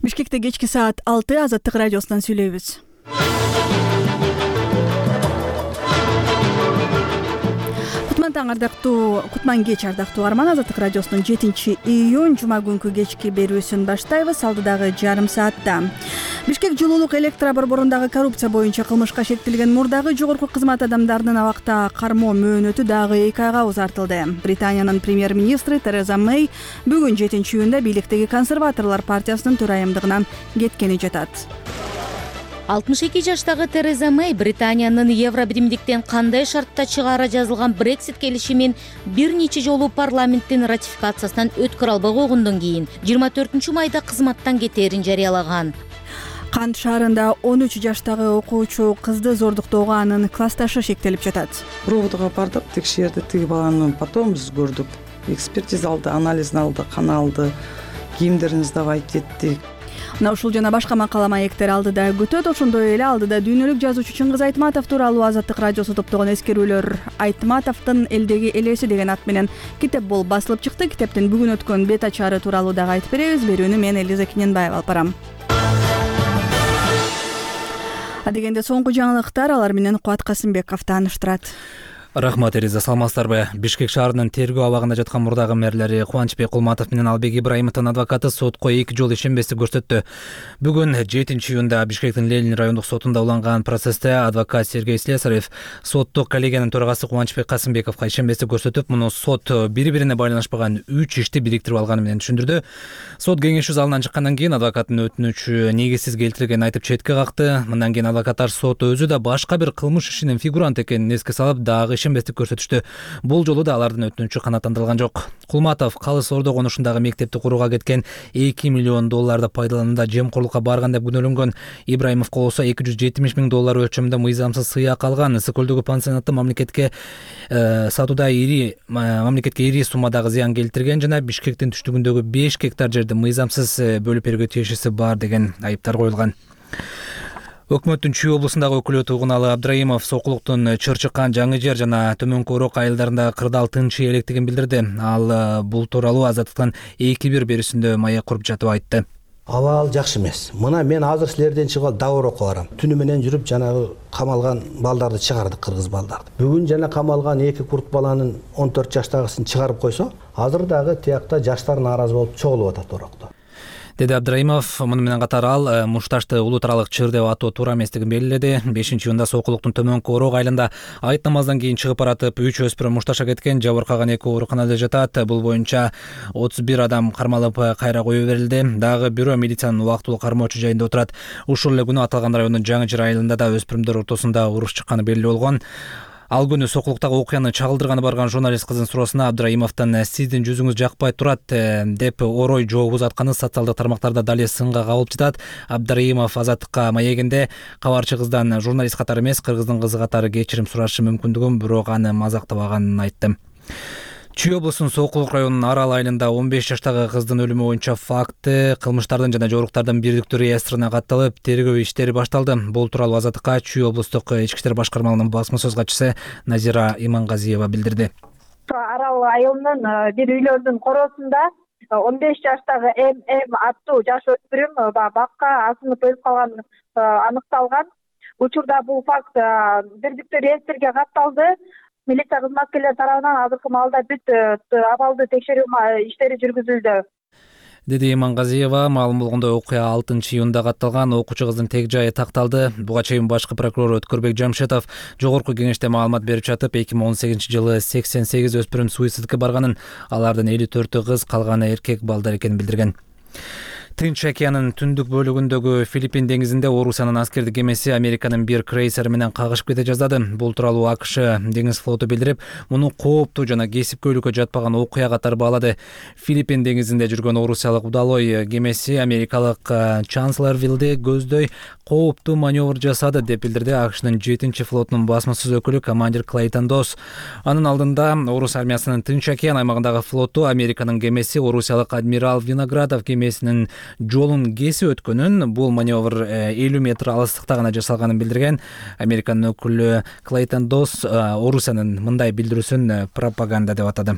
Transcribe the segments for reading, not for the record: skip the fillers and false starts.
Бишкекте кечки саат 6 Азаттык радиосунан сүйлөйбүз. Кутман кеч ардактуу арман. Азаттык радиосунун 7-июнь жума күнкү кечки берүүсүн баштайбыз. Алдыдагы жарым саатта Бишкек жылуулук электр борборундагы коррупция боюнча кылмышка шектелген мурдагы жогорку кызмат адамдарынын абакта кармоо мөөнөтү дагы 2 айга узартылды. Британиянын премьер-министри Тереза Мэй бүгүн 7-июнда бийликтеги консерваторлор партиясынын төрайымдыгынан кеткени жатат. 62 жаштагы Тереза Мэй Британиянын Евробиримдиктен кандай шартта чыгаары жазылган Брексит келишимин бир нече жолу парламенттин ратификациясынан өткөрө албай койгондон кийин 24-майда кызматтан кетээрин жарыялаган. Кант шаарында 13 жаштагы окуучу кызды зордуктоого анын классташы шектелип жатат. Прободго бардык, текшерди, тиги баланы потом биз көрдүк. Экспертиза алды, анализин алды, кан алды, кийимдерин издабайт еттик. Мына ушул жана башка макала маектер алдыда күтөт. Ошондой эле алдыда дүйнөлүк жазуучу Чыңгыз Айтматов тууралуу Азаттык радиосу топтогон эскерүүлөр. Айтматовдун Элдеги элеси деген ат менен китеп болуп басылып чыкты. Китептин бүгүн өткөн бет ачары тууралуу дагы айтып беребиз. Берүүнү мен Элиза Киненбаева алып барам. Адегенде соңку жаңылыктар, алар менен Кубат Касымбеков тааныштырат. Рахмат, Элиза, саламатсыздарбы? Бишкек шаарынын тергөө абагында жаткан мурдагы мэрлери Кубанычбек Кулматов менен Албек Ибраимовдун адвокаты сотко 2 жолу ишенбестик көрсөттү. Бүгүн 7-июнда Бишкектин Ленин райондук сотунда уланган процессте адвокат Сергей Слесарев соттук коллегиянын төрагасы Кубанычбек Касымбековго ишенбестик көрсөтүп, муну сот бири-бирине байланышпаган 3 ишти бириктирип алганы менен түшүндүрдү. Сот кеңешүү залынан чыккандан кийин адвокаттын өтүнүчү негизсиз келтирилгенин айтып четке какты. Мындан кийин адвокаттар сот өзү да башка бир кылмыш ишинин фигурант экенин эске салып, дагы ишенбестик көрсөтүштү. Бул жолу да алардын өтүнүчү канааттандырылган жок. Кулматов Калыс Ордо конушундагы мектепти курууга кеткен $2 миллион пайдаланууда жемкорлукка барган деп күнөөлөнгөн. Ибраимовго болсо $270 миң өлчөмүндө мыйзамсыз сыяк алган. Ысык көлдөгү пансионатты мамлекетке сатууда ири суммадагы зыян келтирген жана Бишкектин түштүгүндөгү 5 гектар жерди мыйзамсыз бөлүп берүүгө тиешеси бар деген айыптар коюлган. Өкмөттүн Чүй облусундагы өкүлү Тугуналы Абдраимов сокулуктун Чыр-Чыккан, Жаңы Жер жана Төмөнкү Орок айылдарында кырдаал тынчый электигин билдирди. Ал бул тууралуу Азаттыктын 2-1 берүүсүндө маек куруп жатып айтты. Абал жакшы эмес. Мына мен азыр силерден чыгып Давыр окуп барам. Түнү менен жүрүп жанагы камалган балдарды чыгардык, кыргыз балдарды. Бүгүн жана камалган 2 курт баланын 14 жаштагысын чыгарып койсо, азыр дагы тиякта жаштар нааразы болуп чогулуп атат Орокто. Деди Абдраимов. Муну менен катар ал Мушташты улут аралык чыр деп атоо туура эместигин белгиледи. 5-июнда сокулуктун Төмөнкү Орок айылында айт намаздан кийин чыгып баратып 3 өспүрүм мушташка кеткен, жабыркаган 2 ооруканада жатат. Бул боюнча 31 адам кармалып кайра коюу берилди. Дагы бирөө милициянын убактылуу кармоочу жайында отурат. Ушул эле күнү аталган райондун Жаңы Жер айылында да өспүрүмдөр ортосунда уруш чыкканы белгилүү болгон. Ал күнү сокулуктагы окуяны чагылдырганы барган журналист кыздын суроосуна Абдраимовдон сиздин жүзүңүз жакпай турат деп орой жооп узатканы социалдык тармактарда дале сынга кабылып жатат. Абдраимов Азаттыкка маегинде кабарчы кыздан журналист катары эмес, кыргыздын кызы катары кечирим сурашы мүмкүндүгүн, бирок аны мазактабаганын айтты. Чүй облусунун Сокулук районунун Арал айылында 15 жаштагы кыздын өлүмү боюнча факты кылмыштардын жана жоруктардын бирдиктүү реестрине катталып, тергөө иштери башталды. Бул тууралуу Азаттыкка Чүй облустук ички иштер башкармалыгынын басма сөз катчысы Назира Имангазиева билдирди. Арал айылынын бир үйлөрдүн короосунда 15 жаштагы ММ аттуу жаш өспүрүм бакка асынып өлүп калганы аныкталган. Учурда бул факт бирдиктүү реестрге катталды. Милиция кызматкерлери тарабынан азыркы маалда бүт абалды текшерүү иштери жүргүзүлдү. Деди Имангазиева. Маалым болгондой окуя 6-июнда катталган. Окуучу кыздын тег жайы такталды. Буга чейин башкы прокурор Өткөрбек Жамшетов жогорку кеңеште маалымат берип жатып, 2018-жылы 88 өспүрүм суицидке барганын, алардын 54 кыз, калганы эркек балдар экенин билдирген. Тынч океанын түндүк бөлүгүндөгү Филиппин деңизинде Орусиянын аскердик кемеси Американын бир крейсери менен кагышып кете жаздады. Бул тууралуу АКШ деңиз флоту билдирип, муну кооптуу жана кесипкөйлүккө жатпаган окуя катары баалады. Филиппин деңизинде жүргөн орусиялык удалой кемеси америкалык Чанселорвиллди көздөй кооптуу маневр жасады деп билдирди АКШнын 7-флотунун басма сөз өкүлү командир Клейтон Дос. Анын алдында Орус армиясынын Тынч океан аймагындагы флоту Американын кемеси орусиялык адмирал Виноградов кемесинин жолун кесип өткөнүн, бул маневр 50 метр алыстыкта гана жасалганын билдирген. Американын өкүлү Клейтон Дос Орусиянын мындай билдирүүсүн пропаганда деп атады.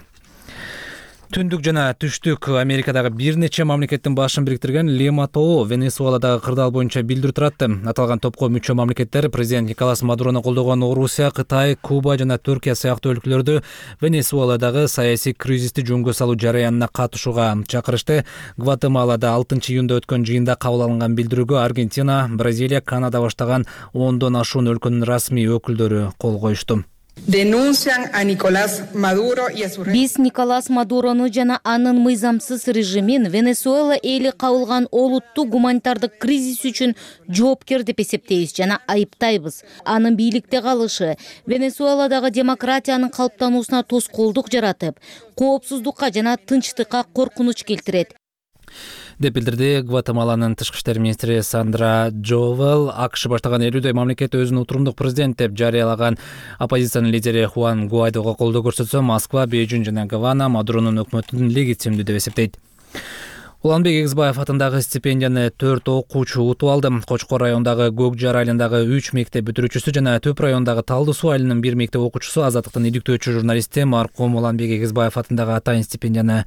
Түндүк жана түштүк Америкадагы бир нече мамлекеттин башын бириктирген Лима тобу Венесуэладагы кырдаал боюнча билдирүү туратты. Аталган топко мүчө мамлекеттер президент Николас Мадурону колдогон Орусия, Кытай, Куба жана Түркия сыяктуу өлкөлөрдү Венесуэладагы саясий кризисти жөнгө салуу жараянына катышууга чакырышты. Гватемалада 6-июнда өткөн жыйында кабыл алынган билдирүүгө Аргентина, Бразилия, Канада баштаган 10дон ашуун өлкөнүн расмий өкүлдөрү кол коюшту. Биз Николас Мадурону жана анын мыйзамсыз режимин Венесуэла эли кабылган олуттук гуманитардык кризис үчүн жоопкер деп эсептейбиз жана айыптайбыз. Анын бийликте калышы Венесуэладагы демократиянын калыптануусуна тоскоолдук жаратып, коопсуздукка жана тынчтыкка коркунуч келтирет деп билдирди Гватемаланын тышкы иштер министри Сандра Джовел. АКШ баштаган 50дөй мамлекет өзүн утурумдук президент деп жарыялаган оппозициянын лидери Хуан Гуайдого колдоо көрсөтсө, Москва, Бейжиң жана Гавана Мадуронун өкмөтүн легитимдүү деп эсептейт. Уланбек Эгизбаев атындагы стипендияны 4 окуучу утуп алды. Кочкор районундагы Көк Жар айылындагы 3 мектеп бүтүрүүчүсү жана Төп районундагы Талды Суу айылынын 1 мектеп окуучусу Азаттыктын иликтөөчү журналисти маркум Уланбек Эгизбаев атындагы атайын стипендияны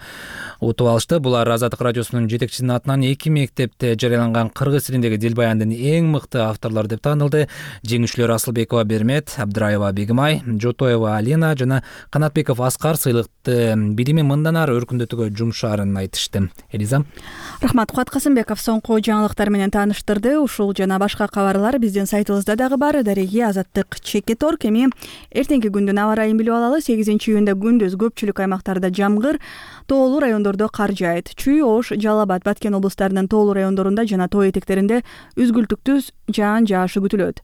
утуп алышты. Булар Азаттык радиосунун жетекчисинин атынан 2 мектепте жарыяланган кыргыз тилиндеги дил баяндын эң мыкты авторлору деп таанылды. Жеңүүчүлөр Асылбекова Бермет, Абдыраева Бегимай, Жотоева Алина жана Канатбеков Аскар сыйлыкты билими мындан ары өркүндөтүүгө жумшаарын айтышты. Элиза. Рахмат, Куат Касымбеков соңку жаңылыктар менен тааныштырды. Ушул жана башка кабарлар биздин сайтыбызда дагы бар. Дареги Азаттык _. Эми эртеңки күндүн аба ырайын билип алалы. 8-июнда күндүз көпчүлүк аймактарда жамгыр, тоолуу райондордо кар жаайт. Чүй, Ош, Жалал Абад, Баткен облустарынын тоолуу райондорунда жана тоо этектеринде үзгүлтүктүү жаан жаашы күтүлөт.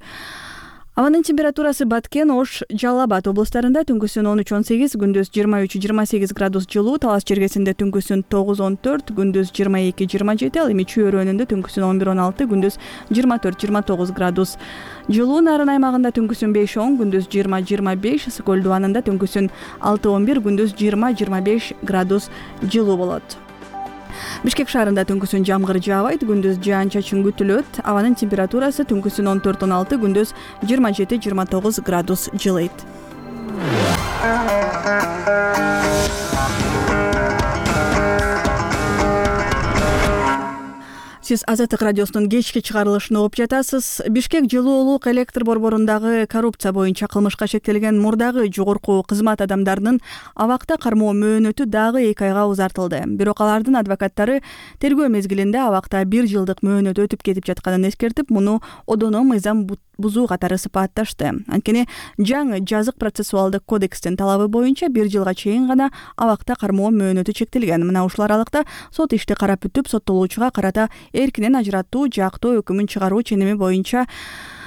Абанын температурасы Баткен, Ош, Жалал Абад облустарында түнкүсүн 13-18, күндүз 23-28 градус жылуу, Талас жергесинде түнкүсүн 9-14, күндүз 22-27, ал эми Чүй өрөөнүндө түнкүсүн 11-16, күндүз 24-29 градус жылуу, Нарын аймагында түнкүсүн 5-10, күндүз 20-25, Сокол дубанында түнкүсүн 6-11, күндүз 20-25 градус жылуу болот. Бишкек шаарында түнкүсүн жамгыр жаабайт, күндүз жаан-чачын күтүлөт. Абанын температурасы түнкүсүн 14-16, күндүз 27-29 градус жылыйт. Сиз Азаттык радиосунун кечки чыгарылышын угуп жатасыз. Бишкек жылуулук электр борборундагы коррупция боюнча кылмышка шектелген мурдагы жогорку кызмат адамдарынын абакта кармоо мөөнөтү дагы 2 айга узартылды. Бирок алардын адвокаттары тергөө мезгилинде абакта 1 жылдык мөөнөт өтүп кетип жатканын эскертип, муну одоно мыйзам бузуу катары сыпатташты. Анткени жаңы жазык процессуалдык кодекстин талабы боюнча 1 жылга чейин гана абакта кармоо мөөнөтү чектелген. Мына ушул аралыкта сот ишти карап бүтүп, соттолуучуга карата эркинен ажыраттуу жактоо өкүмүн чыгаруу ченеми боюнча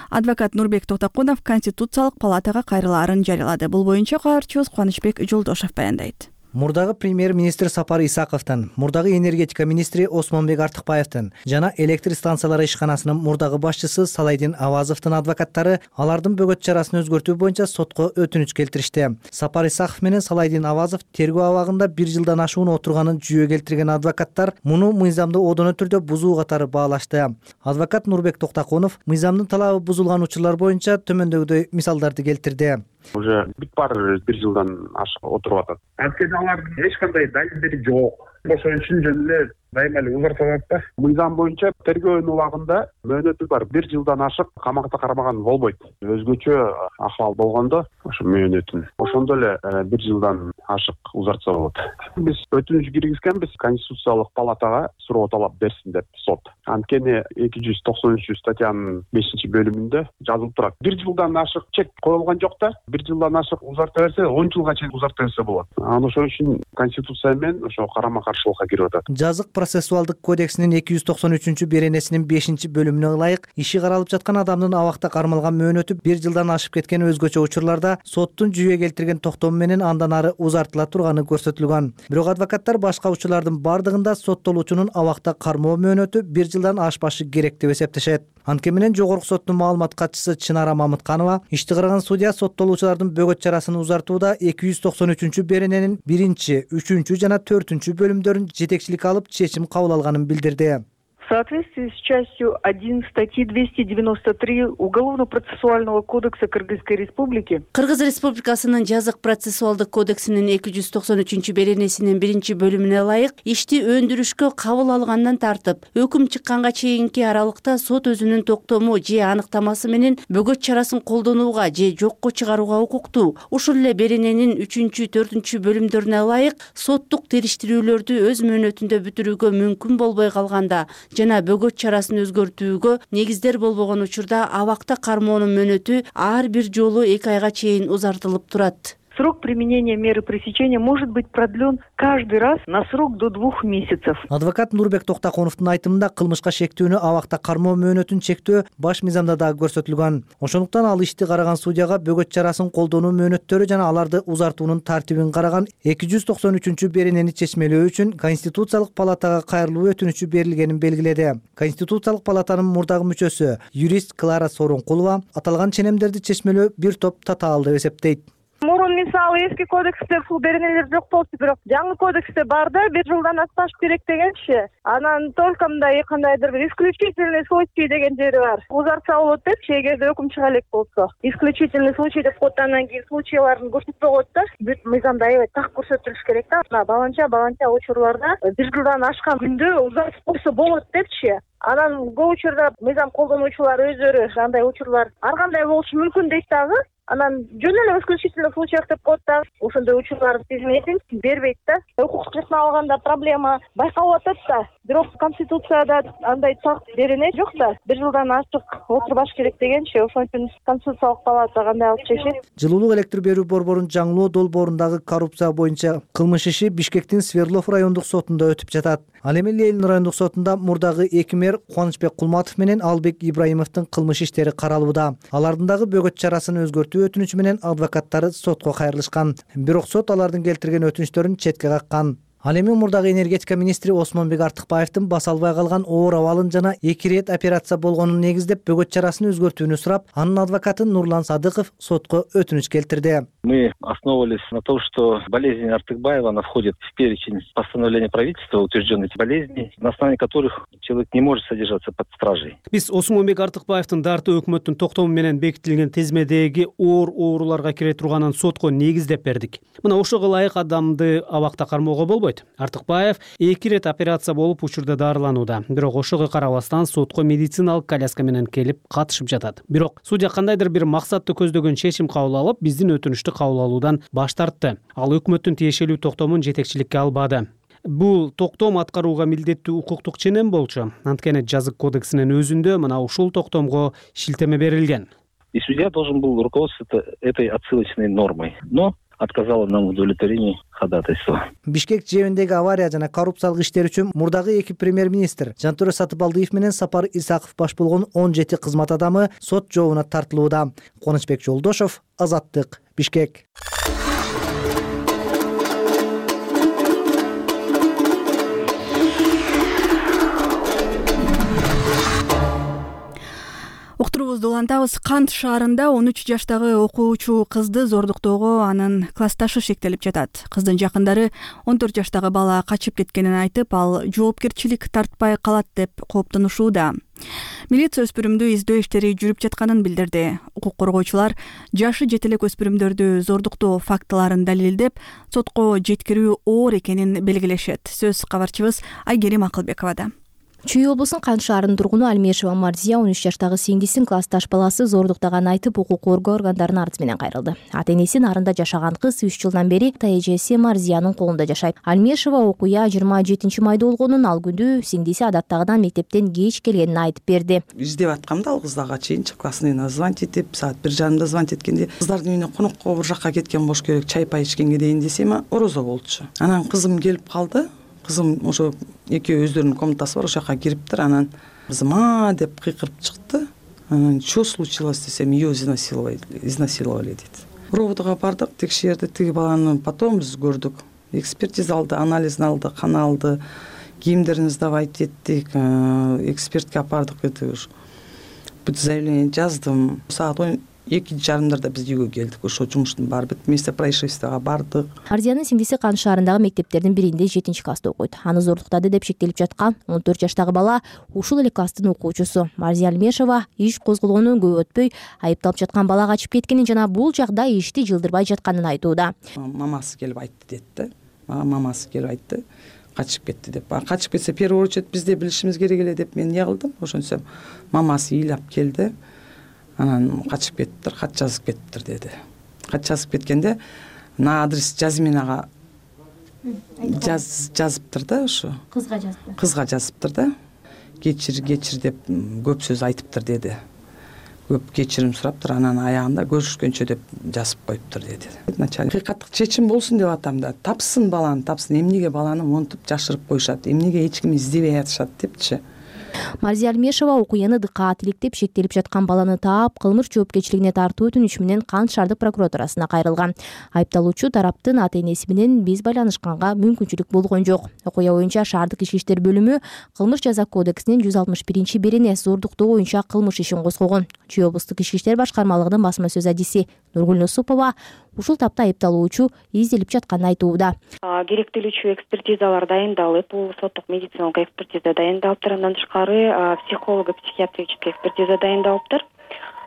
адвокат Нурбек Токтокунов Конституциялык палатага кайрылаарын жарыялады. Бул боюнча кабарчыбыз Кубанычбек Жолдошов баяндайт. Мурдагы премьер-министр Сапар Исаковдун, мурдагы энергетика министри Осмонбек Артыкбаевдин жана электр станциялары ишканасынын мурдагы башчысы Салайдин Авазовдун адвокаттары алардын бөгөт чарасын өзгөртүү боюнча сотко өтүнүч келтиришти. Сапар Исаков менен Салайдин Авазов тергөө абагында 1 жылдан ашуун отурганын жүйө келтирген адвокаттар муну мыйзамды одоно түрдө бузуу катары баалашты. Адвокат Нурбек Токтокунов мыйзамдын талабы бузулган учурлар боюнча төмөндөгүдөй мисалдарды келтирди. Уже бүт бар 1 жылдан ашык отуруп атат. Анткени алардын эч кандай далилдери жок. Ошон үчүн жөн эле дайыма эле узартылат да. Мыйзам боюнча тергөөнүн убагында мөөнөтү бар 1 жылдан ашык камакта кармаган болбойт. Өзгөчө акыбал болгондо ошо мөөнөтүн ошондо эле 1 жылдан ашык узартса болот. Биз өтүнүч киргизгенбиз Конституциялык палатага суроо талап берсин деп сот. Анткени 293 статьянын 5-бөлүмүндө жазылып турат. 1 жылдан ашык чек коюлган жок да. 1 жылдан ашык узарта берсе 10 жылга чейин узарта берсе болот. Анан ошон үчүн Конституция менен ошо карама-каршылыкка кирип атат. Жазык процессуалдык кодексинин 293 беренесинин 5-бөлүмүнө ылайык иши каралып жаткан адамдын абакта кармалган мөөнөтү 1 жылдан ашып кеткен өзгөчө учурларда соттун жүйө келтирген токтому менен андан ары узартыла турганы көрсөтүлгөн. Бирок адвокаттар башка учурлардын бардыгында соттолуучунун абакта кармоо мөөнөтү 1 жылдан ашпашы керек деп эсептешет. Анткени менен жогорку соттун маалымат катчысы Чынара Мамытканова ишти караган судья соттолуучулардын бөгөт чарасын узартууда 293 берененин 1-3 жана 4 бөлүмдөрүн жетекчилик алып чечим кабыл алганын билдирди. соответствии с частью 1 статьи 293 Уголовно-процессуального кодекса Кыргызской Республики. Кыргыз Республикасынын жазык процессуалдык кодексинин 293 беренесинин 1 бөлүмүнө ылайык ишти өндүрүшкө кабыл алгандан тартып өкүм чыкканга чейинки аралыкта сот өзүнүн токтому же аныктамасы менен бөгөт чарасын колдонууга же жокко чыгарууга укуктуу. Ушул эле берененин 3-4 бөлүмдөрүнө ылайык соттук териштирүүлөрдү өз мөөнөтүндө бүтүрүүгө мүмкүн болбой калганда жана бөгөт чарасын өзгөртүүгө негиздер болбогон учурда абакта кармоонун мөөнөтү ар бир жолу 2 айга чейин узартылып турат. Срок применения меры пресечения может быть продлен каждый раз на срок до 2 месяцев. Адвокат Нурбек Токтоконовдун айтымында кылмышка шектүүнү абакта кармоо мөөнөтүн чектөө баш мыйзамда дагы көрсөтүлгөн. Ошондуктан ал ишти караган судьяга бөгөт чарасын колдонуу мөөнөттөрү жана аларды узартуунун тартибин караган 293 беренени чечмелөө үчүн Конституциялык палатага кайрылуу өтүнүчү берилгенин белгиледи. Конституциялык палатанын мурдагы мүчөсү юрист Клара Сооронкулова аталган ченемдерди чечмелөө бир топ татаал деп эсептейт. Мурун мисалы эски кодексте бул беренелер жок болчу, бирок жаңы кодексте бар да 1 жылдан аспаш керек дегенчи. Анан только мындай кандайдыр бир исключительный случай деген жери бар. Узартса болот депчи, эгерде өкүм чыга элек болсо. Исключительный случай деп коет, анан кийин случайларын көрсөтпөй коет да. Бүт мыйзамда аябай так көрсөтүлүш керек да. Баланча учурларда 1 жылдан ашкан күндө узартып койсо болот депчи. Анан бул учурда мыйзам колдонуучулар өздөрү андай учурлар ар кандай болушу мүмкүн дейт дагы. Анан жөн эле исключительный случай деп коет да. Ошондой учурлардын тизмесин бербейт да. Укук жактан алганда проблема байкалып атат да. Бирок Конституцияда андай так берене жок да. 1 жылдан ашык отурбаш керек дегенчи. Ошон үчүн Конституциялык палата кандай алып чечет? Жылуулук электр берүү борборунун Жаңылоо долбоорундагы коррупция боюнча кылмыш иши Бишкектин Свердлов райондук сотунда өтүп жатат. Ал эми Ленин райондук сотунда мурдагы 2 мэр Кубанычбек Кулматов менен Албек Ибраимовдун кылмыш иштери каралууда. Алардын дагы бөгөт чарасын өзгөртүү өтүнүчү менен адвокаттары сотко кайрылышкан. Бирок сот алардын келтирген өтүнүчтөрүн четке каккан. Ал эми мурдагы энергетика министри Осмонбек Артыкбаевдин баса албай калган оор абалын жана 2 ирет операция болгонун негиздеп бөгөт чарасын өзгөртүүнү сурап, анын адвокаты Нурлан Садыков сотко өтүнүч келтирди. Мы основывались на том, что болезнь Артыкбаева, она входит в перечень постановления правительства, утвержденных болезней, на основании которых человек не может содержаться под стражей. Биз Осмонбек Артыкбаевдин дарты өкмөттүн токтому менен бекитилген тизмедеги ооруларга кире турганын сотко негиздеп бердик. Мына ошого ылайык адамды абакта кармоого болбойт. Артыкбаев 2 ирет операция болуп учурда дарыланууда. Бирок ошого карабастан сотко медициналык коляска менен келип катышып жатат. Бирок судья кандайдыр бир максатты көздөгөн чечим кабыл алып, биздин өтүнүштү кабыл алуудан баш тартты. Ал өкмөттүн тиешелүү токтомун жетекчиликке албады. Бул токтом аткарууга милдеттүү укуктук ченем болчу. Анткени жазык кодексинин өзүндө мына ушул токтомго шилтеме берилген. И судья должен был руководствоваться этой отсылочной нормой. Но отказала нам в удовлетворении ходатайства. Бишкек жэбиндеги авария жана коррупциялык иштер үчүн мурдагы 2 премьер-министр Жантөре Сатыбалдиев менен Сапар Исаков баш болгон 17 кызмат адамы сот жообуна тартылууда. Кубанычбек Жолдошов, Азаттык, Бишкек. Уктурубузду улантабыз. Кант шаарында 13 жаштагы окуучу кызды зордуктоого анын классташы шектелип жатат. Кыздын жакындары 14 жаштагы бала качып кеткенин айтып, ал жоопкерчилик тартпай калат деп кооптонушууда. Милиция өспүрүмдү издөө иштери жүрүп жатканын билдирди. Укук коргоочулар жашы жете элек өспүрүмдөрдү зордуктоо фактыларын далилдеп, сотко жеткирүү оор экенин белгилешет. Сөз кабарчыбыз Айгерим Акылбековада. Чүй облусунун Кант шаарынын тургуну Альмешева Марзия 13 жаштагы сиңдисин классташ баласы зордуктаганын айтып, укук коргоо органдарынын арызы менен кайрылды. Ата-энеси нарында жашаган кыз 3 жылдан бери эжеси Марзиянын колунда жашайт. Альмешева окуя 27 майда болгонун, ал күндү сиңдиси адаттагыдан мектептен кеч келгенин айтып берди. Издеп аткамда ал кыздага чейинчи классныйына звонить этип, саат 1:30 звонить эткенде, кыздардын үйүнө конокко бир жакка кеткен болуш керек, чай-пай ичкенге дейин десем, орозо болчу. Анан кызым келип калды. Кызым ошо экөө өздөрүнүн комнатасы бар, ошол жака кириптир. Анан кызым деп кыйкырып чыкты. Анан что случилось десем, ее изнасиловали дейт. Рободго бардык, текшерди, тиги баланы потом биз көрдүк. Экспертиза алды, анализин алды, кан алды, кийимдерин сдавать эттик, экспертке апардык. Бүт заявление жаздым. Саат 2:30 биз үйгө келдик. Ошо жумуштун баары бүт, место происшествияга бардык. Марзиянын сиңдиси Кан шаарындагы мектептердин биринде 7-класста окуйт. Аны зордуктады деп шектелип жаткан 14 жаштагы бала ушул эле класстын окуучусу. Марзия Алмешева иш козголгондон көп өтпөй айыпталып жаткан бала качып кеткенин жана бул жагдай ишти жылдырбай жатканын айтууда. Мамасы келип айтты дейт да. Мамасы келип айтты, качып кетти деп. Качып кетсе первый очередь бизде билишибиз керек эле деп мен эмне кылдым. Ошентсем мамасы ыйлап келди. Анан качып кеттиптир, кат жазып кеттиптир деди. Кат жазып кеткенде на адрес Жазминага жазыптыр да, ошо. Кызга жазыптыр да. Кечир деп көп сөз айтыптыр деди. Көп кечирим сураптыр, анан аягында көрүшкөнчө деп жазып коюптур деди. Начальник акыйкаттык чечим болсун деп атам да. Тапсын баланы, тапсын. Эмнеге баланы монтуп жашырып коюшат? Эмнеге эч ким издебей атышат депчи. Марзия Алмешева окуяны дыкаат иликтеп шектелип жаткан баланы таап, кылмыш жоопкерчилигине тартуу өтүнүчү менен Кан шаардык прокуратурасына кайрылган. Айыпталуучу тараптын ата-энеси менен биз байланышканга мүмкүнчүлүк болгон жок. Окуя боюнча шаардык ички иштер бөлүмү кылмыш жаза кодексинин 161-берене зордуктоо боюнча кылмыш ишин козгогон. Чүй облустук ички иштер башкармалыгынын басма сөз адиси Нургүл Усупова ушул тапта айыпталуучу изделип жатканын айтууда. Керектелүүчү экспертизалар дайындалып, бул соттук медициналык экспертиза дайындалыптыр. Андан тышкары психолого-психиатрический экспертиза дайындалыптыр.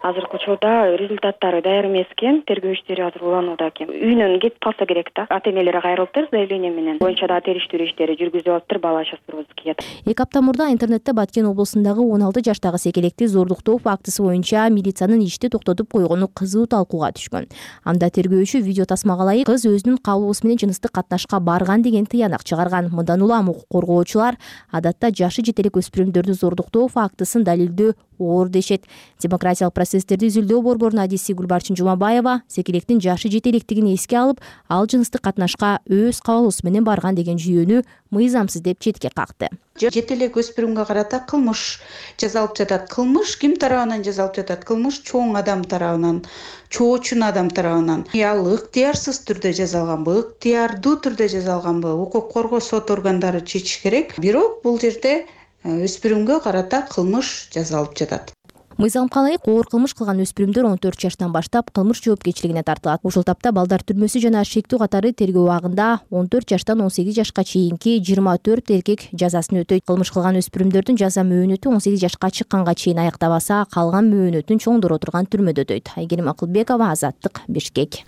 Азыркы учурда результаттары даяр эмес экен, тергөө иштери азыр уланууда экен. Үйүнөн кетип калса керек да. Ата-энелери кайрылыптыр, заявление менен. Боюнча да териштирүү иштери жүргүзүлүп атыптыр, бала шасырбызыкия. 2 апта мурда интернетте Баткен облусундагы 16 жаштагы секелекти зордуктоо фактысы боюнча милициянын ишти токтотуп койгону кызуу талкууга түшкөн. Анда тергөөчү видео тасмага ылайык кыз өзүнүн каалоосу менен жыныстык катнашка барган деген тыянак чыгарган. Мындан улам укук коргоочулар адатта жашы жете элек өспүрүмдөрдү зордуктоо фактысын далилдөө оор дешет. Демократиялык процесстерди изилдөө борборунун адиси Гүлбарчын Жумабаева секелектин жашы жете электигин эске алып, ал жыныстык катнашка өз каалоосу менен барган деген жүйөнү мыйзамсыз деп четке какты. Жете элек өспүрүмгө карата кылмыш жазалып жатат. Кылмыш ким тарабынан жазалып жатат? Кылмыш чоң адам тарабынан, чоочун адам тарабынан. Ал ыктыярсыз түрдө жазалганбы, ыктыярдуу түрдө жазалганбы? Укук коргоо сот органдары чечиш керек. Бирок бул жерде өспүрүмгө карата кылмыш жазалып жатат. Мыйзамга ылайык оор кылмыш кылган өспүрүмдөр 14 жаштан баштап кылмыш жоопкерчилигине тартылат. Ушул тапта балдар түрмөсү жана шектүү катары тергөө убагында 14 жаштан 18 жашка чейинки 24 эркек жазасын өтөйт. Кылмыш кылган өспүрүмдөрдүн жаза мөөнөтү 18 жашка чыкканга чейин аяктабаса, калган мөөнөтүн чоңдоро турган түрмөдө өтөйт. Айгерим Акылбекова, Азаттык, Бишкек.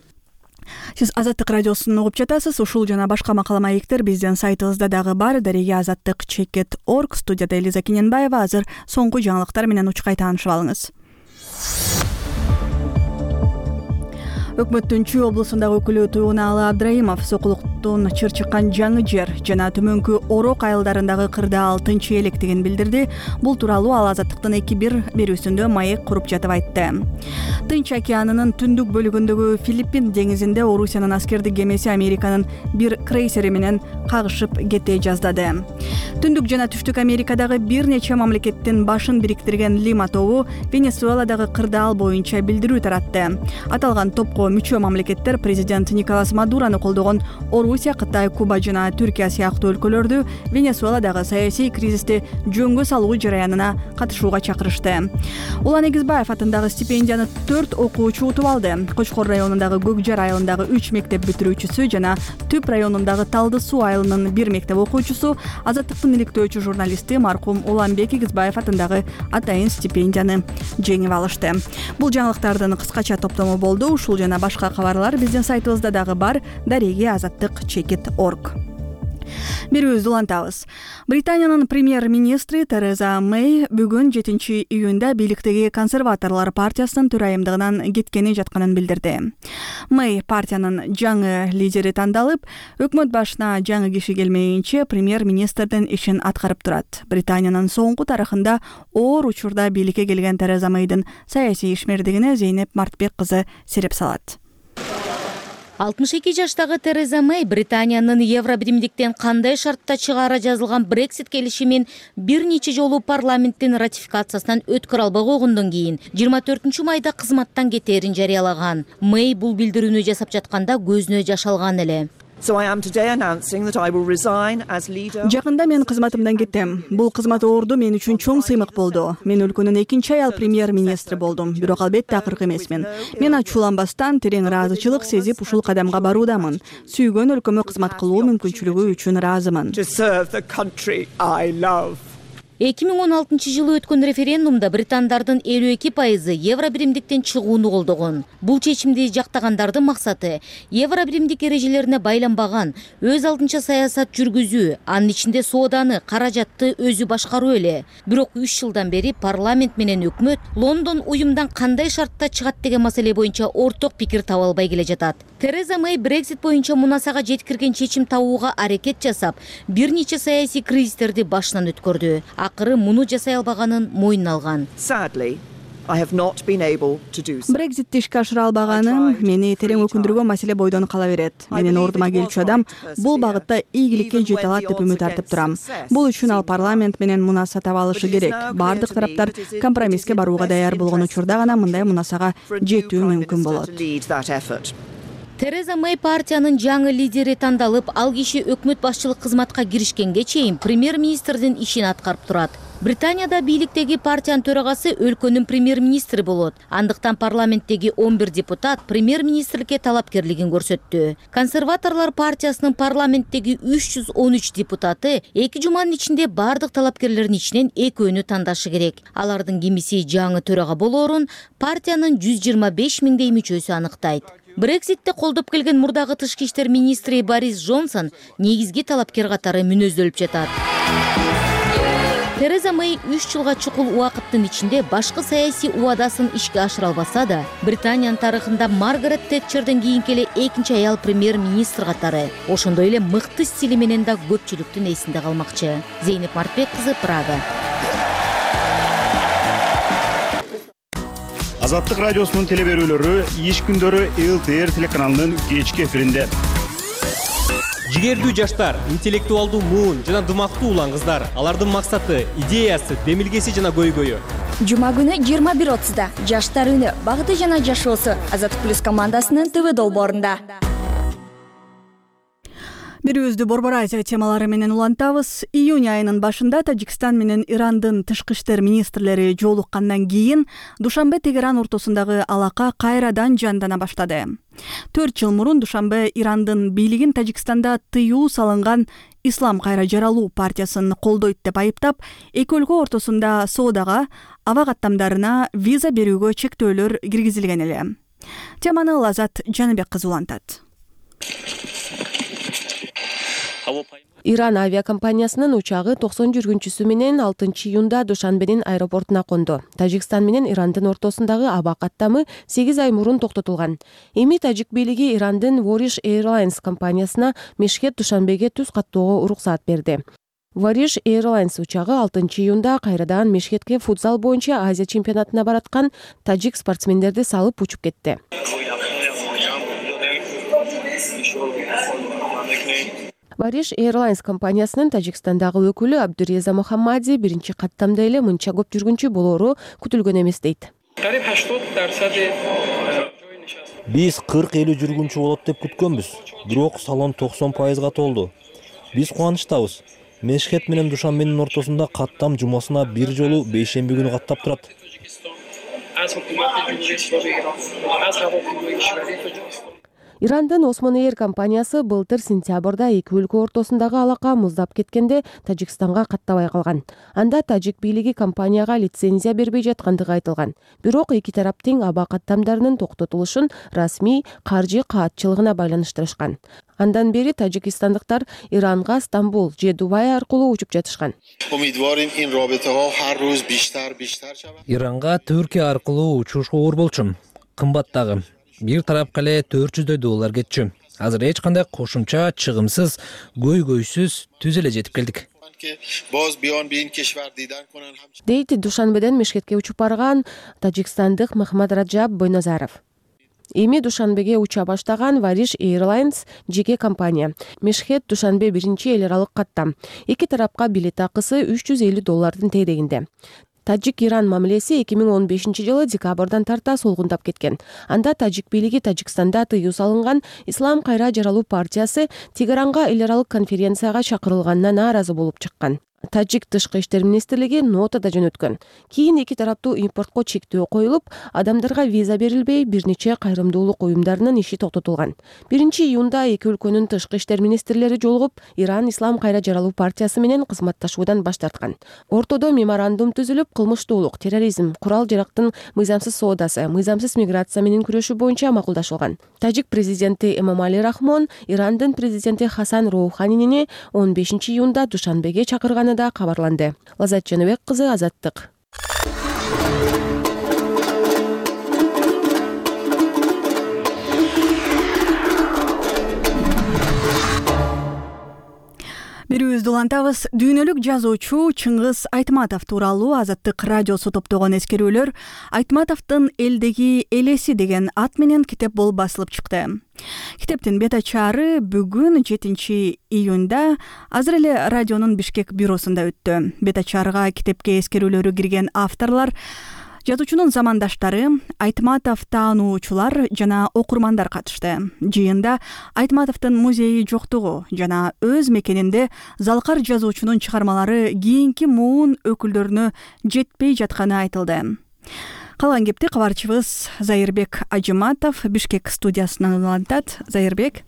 Сиз Азаттык радиосун угуп жатасыз. Ушул жана башка макала маектер биздин сайтыбызда дагы бар. Дареге azattik.org. Студияда Элиза Кененбаева. Азыр соңку жаңылыктар менен учкай таанышып алыңыз. Өкмөттүн Чүй облусундагы өкүлү Туюнаалы Абдрайымов сокулуктун чыр чыккан жаңы жер жана төмөнкү Орок айылдарындагы кырдаал тынч электигин билдирди. Бул тууралуу ал Азаттыктын 2-1 берүүсүндө маек куруп жатып айтты. Тынч океанынын түндүк бөлүгүндөгү Филиппин деңизинде Орусиянын аскердик кемеси Американын бир крейсери менен кагышып кете жаздады. Түндүк жана түштүк Америкадагы бир нече мамлекеттин башын бириктирген Лима тобу Венесуэладагы кырдаал боюнча билдирүү таратты. Аталган топко мүчө мамлекеттер президент Николас Мадурону колдогон Орусия, Кытай, Куба жана Түркия сыяктуу өлкөлөрдү Венесуэладагы саясий кризисти жөнгө салуу жараянына катышууга чакырышты. Улан Эгизбаев атындагы стипендияны 4 окуучу утуп алды. Кочкор районундагы Көкжар айылындагы 3 мектеп бүтүрүүчүсү жана Түп районундагы Талды Суу айылынын 1 мектеп окуучусу, Азаттыктын иликтөөчү журналисти маркум Уланбек Эгизбаев атындагы атайын стипендияны жеңип алышты. Бул жаңылыктардын кыскача топтому болду. Ушул жана башка кабарлар биздин сайтыбызда дагы бар. Дареге azattik.org. Берүүбүздү улантабыз. Британиянын премьер-министри Тереза Мэй бүгүн 7-июнда бийликтеги консерваторлор партиясынын төрайымдыгынан кеткени жатканын билдирди. Мэй партиянын жаңы лидери тандалып, өкмөт башына жаңы киши келмейинче премьер-министрдин ишин аткарып турат. Британиянын соңку тарыхында оор учурда бийликке келген Тереза Мэйдин саясий ишмердигине Зейнеп Мартбек кызы сереп салат. 62 жаштагы Тереза Мэй Британиянын Евробиримдиктен кандай шартта чыгаара жазылган Брексит келишимин бир нече жолу парламенттин ратификациясынан өткөрө албай койгондон кийин 24 майда кызматтан кетээрин жарыялаган. Мэй бул билдирүүнү жасап жатканда көзүнө жаш алган эле. Жакында мен кызматымдан кеттем. Бул кызмат орду мен үчүн чоң сыймык болду. Мен өлкөнүн экинчи аял премьер-министри болдум, бирок албетте акыркы эмесмин. Мен ачууланбастан терең ыраазычылык сезип ушул кадамга баруудамын. Сүйгөн өлкөмө кызмат кылуу мүмкүнчүлүгү үчүн ыраазымын. 2016 жылы өткөн референдумда британдардын 52% евро биримдиктен чыгууну колдогон. Бул чечимди жактагандардын максаты евро биримдик эрежелерине байланбаган өз алдынча саясат жүргүзүү, анын ичинде сооданы, каражатты өзү башкаруу эле. Бирок 3 жылдан бери парламент менен өкмөт Лондон уюмдан кандай шартта чыгат деген маселе боюнча орток пикир таба албай келе жатат. Тереза Мэй Брексит боюнча мунасага жеткирген чечим табууга аракет жасап, бир нече саясий кризистерди башынан өткөрдү. Акыры муну жасай албаганын мойнуна алган. Брекситти ишке ашыра албаганым мени терең өкүндүргөн маселе бойдон кала берет. Менин ордума келчү адам бул багытта ийгиликке жете алат деп үмүт артып турам. Бул үчүн ал парламент менен мунаса таба алышы керек. Бардык тараптар компромисске барууга даяр болгон учурда гана мындай мунасага жетүү мүмкүн болот. Тереза Мэй партиянын жаңы лидери тандалып, ал киши өкмөт башчылык кызматка киришкенге чейин премьер-министрдин ишин аткарып турат. Британияда бийликтеги партиянын төрагасы өлкөнүн премьер-министри болот. Андыктан парламенттеги 11 депутат премьер-министрликке талапкерлигин көрсөттү. Консерваторлор партиясынын парламенттеги 313 депутаты 2 жуманын ичинде бардык талапкерлердин ичинен экөөнү тандашы керек. Алардын кимиси жаңы төрага болоорун партиянын 125 миңдей мүчөсү анықтайт. Брекситти колдоп келген мурдагы тышкы иштер министри Борис Джонсон негизги талапкер катары мүнөздөлүп жатат. Тереза Мэй 3 жылга чукул убакыттын ичинде башкы саясий убадасын ишке ашыра албаса да, Британиянын тарыхында Маргарет Тэтчерден кийинки эле экинчи аял премьер-министр катары. Ошондой эле мыкты стили менен да көпчүлүктүн эсинде калмакчы. Зейнеп Мартбек кызы, Прага. Азаттык радиосунун телеберүүлөрү иш күндөрү ЛТР телеканалынын кечки эфиринде. Жигердүү жаштар, интеллектуалдуу муун жана дымактуу улан кыздар. Алардын максаты, идеясы, демилгеси жана көйгөйү. Жума күнү 21:30 Жаштар үнү, багыты жана жашоосу Азаттык плюс командасынын ТВ долбоорунда. Бирүүбүздү Борбор Азия темалары менен улантабыз. Июнь айынын башында Тажикстан менен Ирандын тышкы иштер министрлери жолуккандан кийин Душанбе Тегеран ортосундагы алака кайрадан жандана баштады. 4 жыл мурун Душанбе Ирандын бийлигин Тажикстанда тыюу салынган Ислам кайра жаралуу партиясын колдойт деп айыптап, эки өлкө ортосунда соодага, аба каттамдарына виза берүүгө чектөөлөр киргизилген эле. Теманы Лазат Жаныбек кызы улантат. Иран авиакомпаниясынын учагы 90 жүргүнчүсү менен 6 июнда Душанбенин аэропортуна конду. Тажикстан менен Ирандын ортосундагы аба каттамы 8 ай мурун токтотулган. Эми тажик бийлиги Ирандын Warish Airlines компаниясына Мешхет Душанбеге түз каттоого уруксаат берди. Warish Airlines учагы 6 июнда кайрадан Мешхетке футзал боюнча Азия чемпионатына бараткан тажик спортсмендерди салып учуп кетти. Warish Airlines компаниясынын Тажикстандагы өкүлү Абдуреза Мухаммади биринчи каттамда эле мынча көп жүргүнчү болоору күтүлгөн эмес дейт. Биз 40-50 жүргүнчү болот деп күткөнбүз, бирок салон 90%га толду. Биз кубанычтабыз. Мешхет менен Душанбенин ортосунда каттам жумасына бир жолу бейшемби күнү каттап турат. Ирандын Osman Air компаниясы былтыр сентябрда эки өлкө ортосундагы алака муздап кеткенде Тажикстанга каттабай калган. Анда тажик бийлиги компанияга лицензия бербей жаткандыгы айтылган. Бирок эки тараптын аба каттамдарынын токтотулушун расмий каржы каатчылыгына байланыштырышкан. Андан бери тажикстандыктар Иранга Стамбул же Дубай аркылуу учуп жатышкан. Иранга Түркия аркылуу учуш оор болчу. Кымбаттагы. Бир тарапка эле $400 кетчү. Азыр эч кандай кошумча, чыгымсыз, көйгөйсүз түз эле жетип келдик. Дейт Душанбеден Мешхетке учуп барган тажикстандык Махмад Раджаб Бойназаров. Эми Душанбеге уча баштаган Warish Airlines жеке компания. Мешхет Душанбе биринчи эл аралык каттам. Эки тарапка билет акысы $350 тегерегинде. Тажик-Иран мамилеси 2015-жылы декабрдан тарта солгундап кеткен. Анда тажик бийлиги Тажикстанда тыюу салынган Ислам кайра жаралуу партиясы Тегеранга эл аралык конференцияга чакырылганына нааразы болуп чыккан. Тажик тышкы иштер министрлиги нота да жөнөткөн. Кийин эки тараптуу импортко чектөө коюлуп, адамдарга виза берилбей, бир нече кайрымдуулук уюмдарынын иши токтотулган. 1-июнда эки өлкөнүн тышкы иштер министрлери жолугуп, Иран Ислам кайра жаралуу партиясы менен кызматташуудан баш тарткан. Ортодо меморандум түзүлүп, кылмыштуулук, терроризм, курал-жарактын мыйзамсыз соодасы, мыйзамсыз миграция менен күрөшүү боюнча макулдашылган. Тажик президенти Эмомали Рахмон Ирандын президенти Хасан Роуханини 15-июнда Душанбеге чакырганы да кабарланды. Лазат Жаныбек кызы, Азаттык. Берүүбүздү улантабыз. Дүйнөлүк жазуучу Чыңгыз Айтматов тууралуу Азаттык радиосу топтогон эскерүүлөр Айтматовдун элдеги элеси деген ат менен китеп болуп басылып чыкты. Китептин бет ачаары бүгүн 7-июнда азыр эле радионун Бишкек бюросунда өттү. Бет ачаарга китепке эскерүүлөрү кирген авторлор жазуучунун замандаштары, Айтматов таануучулар жана окурмандар катышты. Жыйында Айтматовдун музейи жоктугу жана өз мекенинде залкар жазуучунун чыгармалары кийинки муун өкүлдөрүнө жетпей жатканы айтылды. Калган кепти кабарчыбыз Зайырбек Ажыматов Бишкек студиясынан улантат. Зайырбек.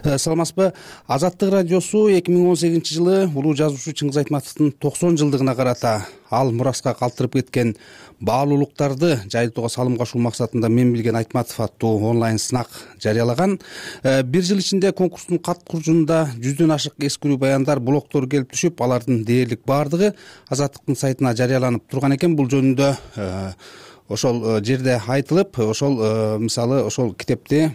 Саламатсызбы? Азаттык радиосу 2018-жылы улуу жазуучу Чыңгыз Айтматовдун 90 жылдыгына карата ал мураска калтырып кеткен баалуулуктарды жайылтууга салым кошуу максатында Мен билген Айтматов аттуу онлайн сынак жарыялаган. Бир жыл ичинде конкурстун кат куржунда 100дөн ашык эскерүү баяндар, блогдор келип түшүп, алардын дээрлик баардыгы Азаттыктын сайтына жарыяланып турган экен. Бул жөнүндө ошол жерде айтылып, ошол мисалы ошол китепти,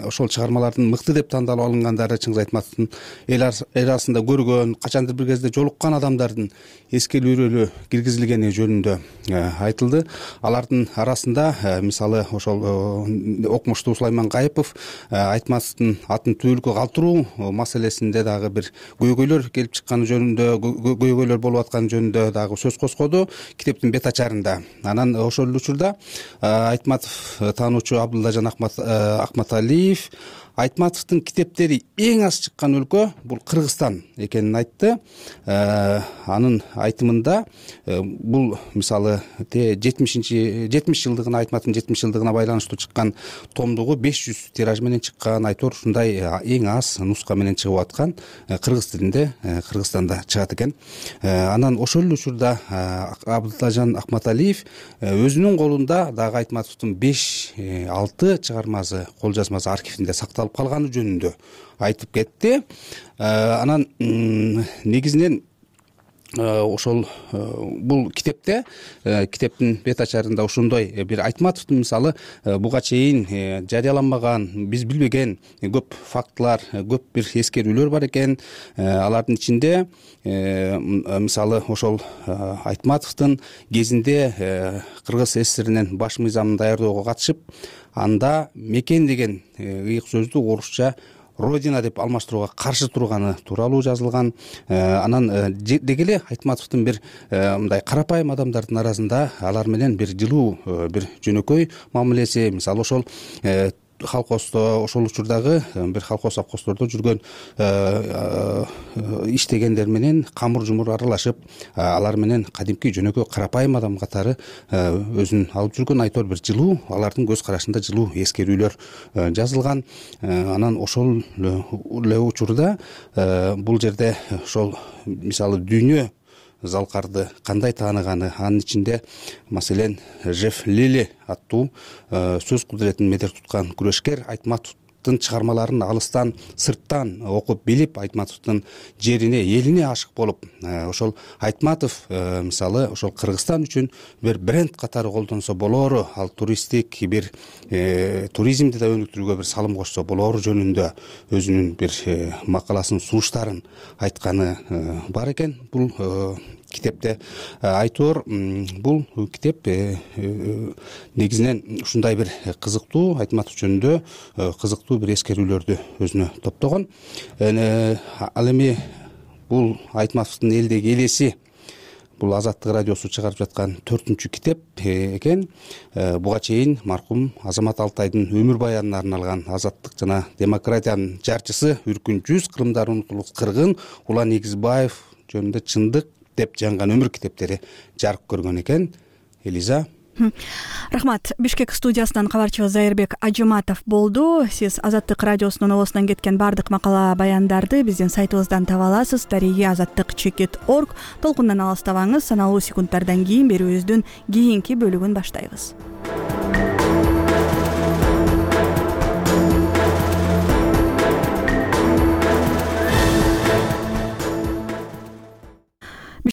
ошол чыгармалардын мыкты деп тандалып алынгандары, Чыңгыз Айтматовдун эл арасында көргөн, качандыр бир кезде жолуккан адамдардын эскерүүлөрү киргизилгени жөнүндө айтылды. Алардын арасында мисалы ошол окумуштуу Сулайман Кайыпов Айтматовдун атын түбөлүккө калтыруу маселесинде дагы бир көйгөйлөр келип чыкканы жөнүндө, көйгөйлөр болуп атканы жөнүндө дагы сөз козгоду китептин бет ачарында. Анан ошол учурда Айтматов таануучу Абдуллажан Акматалиев Айтматовдун китептери эң аз чыккан өлкө бул Кыргызстан экенин айтты. Анын айтымында бул мисалы 70 жылдыгына, Айтматовдун 70 жылдыгына байланыштуу чыккан томдугу 500 тираж менен чыккан, айтор ушундай эң аз нуска менен чыгып аткан кыргыз тилинде Кыргызстанда чыгат экен. Анан ошол учурда Абдуллажан Акматалиев өзүнүн колунда дагы Айтматовдун 5-6 чыгармасы, кол жазмасы архивинде сакталып калганы жөнүндө айтып кетти. Анан негизинен ошол бул китепте, китептин бет ачарында ошондой бир Айтматовдун мисалы буга чейин жарыяланбаган, биз билбеген көп фактылар, көп бир эскерүүлөр бар экен. Алардын ичинде мисалы ошол Айтматовдун кезинде Кыргыз СССРинин баш мыйзамын даярдоого катышып, анда мекен деген ыйык сөздү орусча Родина деп алмаштырууга каршы турганы тууралуу жазылган. Анан деги эле Айтматовдун бир мындай карапайым адамдардын арасында алар менен бир жылуу, бир жөнөкөй мамилеси, мисалы ошол колхоздо, ошол учурдагы бир колхоз совхоздордо жүргөн иштегендер менен камыр жумур аралашып, алар менен кадимки жөнөкөй карапайым адам катары өзүн алып жүргөн айтор бир жылуу, алардын көз карашында жылуу эскерүүлөр жазылган. Анан ошол эле учурда бул жерде ошол мисалы дүйнө залкарды кандай тааныганы, анын ичинде маселен Жеф Лили аттуу сөз кудуретин медер туткан күрөшкер Айтматовдун чыгармаларын алыстан, сырттан окуп билип, Айтматовдун жерине, элине ашык болуп, ошол Айтматов мисалы ошол Кыргызстан үчүн бир бренд катары колдонсо болоору, ал туристтик бир туризмди да өнүктүрүүгө бир салым кошсо болоору жөнүндө өзүнүн бир макаласын, сунуштарын айтканы бар экен. Бул китепте айтор, бул китеп негизинен ушундай бир кызыктуу, Айтматов жөнүндө кызыктуу бир эскерүүлөрдү өзүнө топтогон. Ал эми бул Айтматовдун элдеги элеси бул Азаттык радиосу чыгарып жаткан 4-үнчү китеп экен. Буга чейин маркум Азамат Алтайдын өмүр баянына арналган Азаттык жана демократиянын жарчысы Үркүн жүз, Кырымдары унутулгус кыргын, Улан Эгизбаев жөнүндө Чындык деп жанган өмүр китептери жарык көргөн экен. Элиза. Рахмат. Бишкек студиясынан кабарчыбыз Зайырбек Ажыматов болду. Сиз Азаттык радиосунун оосунан кеткен бардык макала баяндарды биздин сайтыбыздан таба аласыз. @azattik.org. Толкундан алыстабаңыз. Саналуу секундтардан кийин берүүбүздүн кийинки бөлүгүн баштайбыз.